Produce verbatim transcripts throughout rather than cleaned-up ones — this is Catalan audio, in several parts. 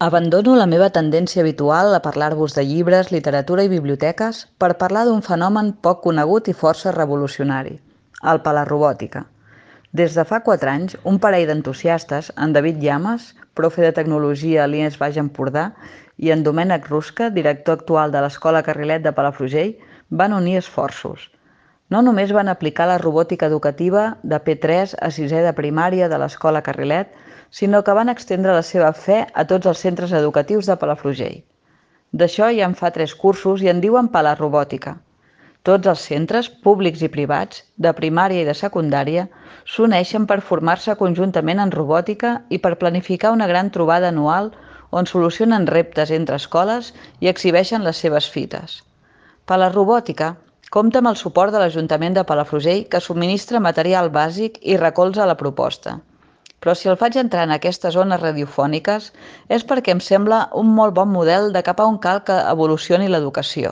Abandono la meva tendència habitual a parlar-vos de llibres, literatura i biblioteques per parlar d'un fenomen poc conegut i força revolucionari, el palarrobòtica. Des de fa quatre anys, un parell d'entusiastes, en David Llamas, profe de tecnologia a l'I E S Baix Empordà, i en Domènec Rusca, director actual de l'Escola Carrilet de Palafrugell, van unir esforços. No només van aplicar la robòtica educativa de P tres a sisè de primària de l'Escola Carrilet, sinó que van estendre la seva fe a tots els centres educatius de Palafrugell. D'això ja en fa tres cursos i en diuen palarrobòtica. Tots els centres, públics i privats, de primària i de secundària, s'uneixen per formar-se conjuntament en robòtica i per planificar una gran trobada anual on solucionen reptes entre escoles i exhibeixen les seves fites. Palarrobòtica compta amb el suport de l'Ajuntament de Palafrugell, que subministra material bàsic i recolza la proposta. Però si el faig entrar en aquestes ones radiofòniques és perquè em sembla un molt bon model de cap a on cal que evolucioni l'educació.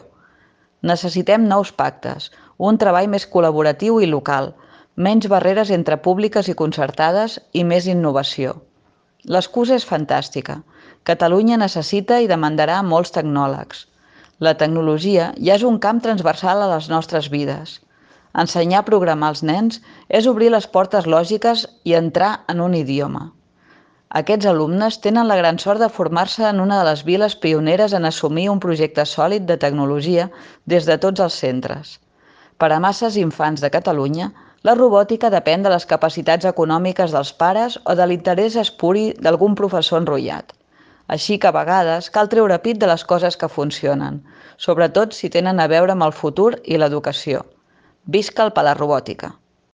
Necessitem nous pactes, un treball més col·laboratiu i local, menys barreres entre públiques i concertades i més innovació. L'excusa és fantàstica. Catalunya necessita i demandarà molts tecnòlegs. La tecnologia ja és un camp transversal a les nostres vides. Ensenyar a programar als nens és obrir les portes lògiques i entrar en un idioma. Aquests alumnes tenen la gran sort de formar-se en una de les viles pioneres en assumir un projecte sòlid de tecnologia des de tots els centres. Per a masses infants de Catalunya, la robòtica depèn de les capacitats econòmiques dels pares o de l'interès espuri d'algun professor enrotllat. Així que a vegades cal treure pit de les coses que funcionen, sobretot si tenen a veure amb el futur i l'educació. Visca el palarrobòtica!